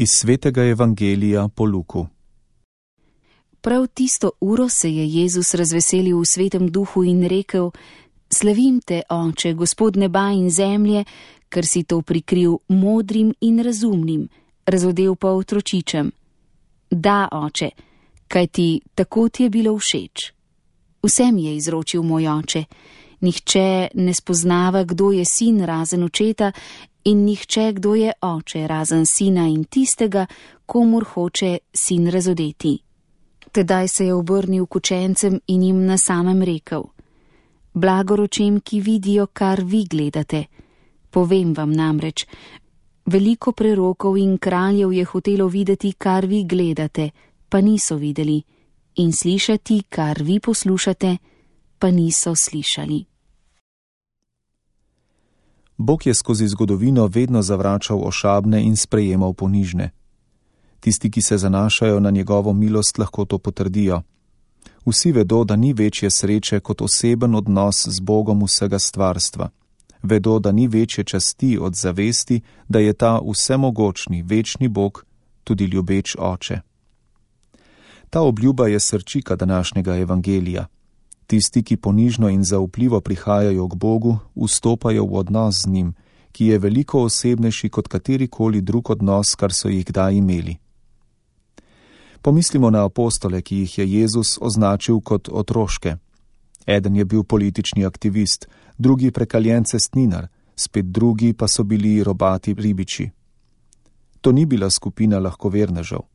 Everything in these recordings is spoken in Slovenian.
Iz svetega evangelija po Luku. Prav tisto uro se je Jezus razveselil v svetem duhu in rekel: Slavim te, Oče, Gospod neba in zemlje, ker si to prikril modrim in razumnim, razodel pa otročičem. Da, Oče, kajti tako ti je bilo všeč. Vsem je izročil moj Oče. Nihče ne spoznava, kdo je sin razen očeta, in nihče, kdo je oče razen sina in tistega, komur hoče sin razodeti. Tedaj se je obrnil k učencem in jim na samem rekel: Blagor očem, ki vidijo, kar vi gledate. Povem vam namreč, veliko prerokov in kraljev je hotelo videti, kar vi gledate, pa niso videli, in slišati, kar vi poslušate, pa niso slišali. Bog je skozi zgodovino vedno zavračal ošabne in sprejemal ponižne. Tisti, ki se zanašajo na njegovo milost, lahko to potrdijo. Vsi vedo, da ni večje sreče kot oseben odnos z Bogom vsega stvarstva. Vedo, da ni večje časti od zavesti, da je ta vsemogočni, večni Bog tudi ljubeč Oče. Ta obljuba je srčika današnjega evangelija. Tisti, ki ponižno in zaupljivo prihajajo k Bogu, vstopajo v odnos z njim, ki je veliko osebnejši kot katerikoli drug odnos, kar so jih kdaj imeli. Pomislimo na apostole, ki jih je Jezus označil kot otroške. Eden je bil politični aktivist, drugi prekaljen cestninar, spet drugi pa so bili robati ribiči. To ni bila skupina lahkovernežev.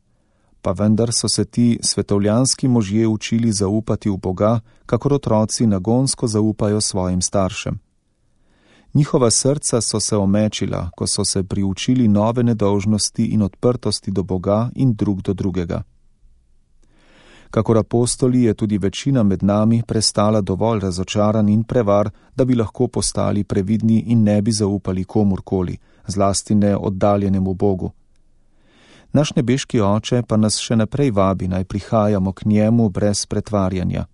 Pa vendar so se ti svetovljanski možje učili zaupati v Boga, kakor otroci nagonsko zaupajo svojim staršem. Njihova srca so se omečila, ko so se priučili nove nedolžnosti in odprtosti do Boga in drug do drugega. Kakor apostoli je tudi večina med nami prestala dovolj razočaran in prevar, da bi lahko postali previdni in ne bi zaupali komurkoli, zlasti ne oddaljenemu Bogu. Naš nebeški Oče pa nas še naprej vabi, naj prihajamo k njemu brez pretvarjanja.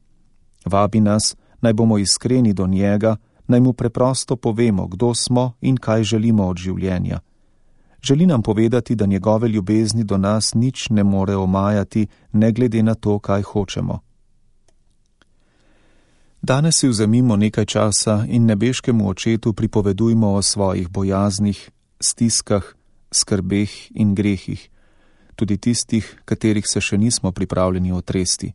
Vabi nas, naj bomo iskreni do njega, naj mu preprosto povemo, kdo smo in kaj želimo od življenja. Želi nam povedati, da njegove ljubezni do nas nič ne more omajati, ne glede na to, kaj hočemo. Danes si vzemimo nekaj časa in nebeškemu Očetu pripovedujmo o svojih bojaznih, stiskah, skrbeh in grehih, tudi tistih, katerih se še nismo pripravljeni otresti.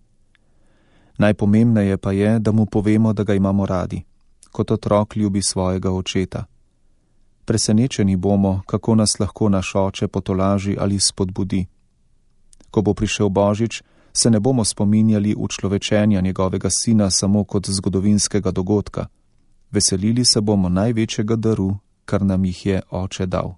Najpomembneje pa je, da mu povemo, da ga imamo radi, kot otrok ljubi svojega očeta. Presenečeni bomo, kako nas lahko naš Oče potolaži ali spodbudi. Ko bo prišel Božič, se ne bomo spominjali učlovečenja njegovega sina samo kot zgodovinskega dogodka. Veselili se bomo največjega daru, kar nam jih je Oče dal.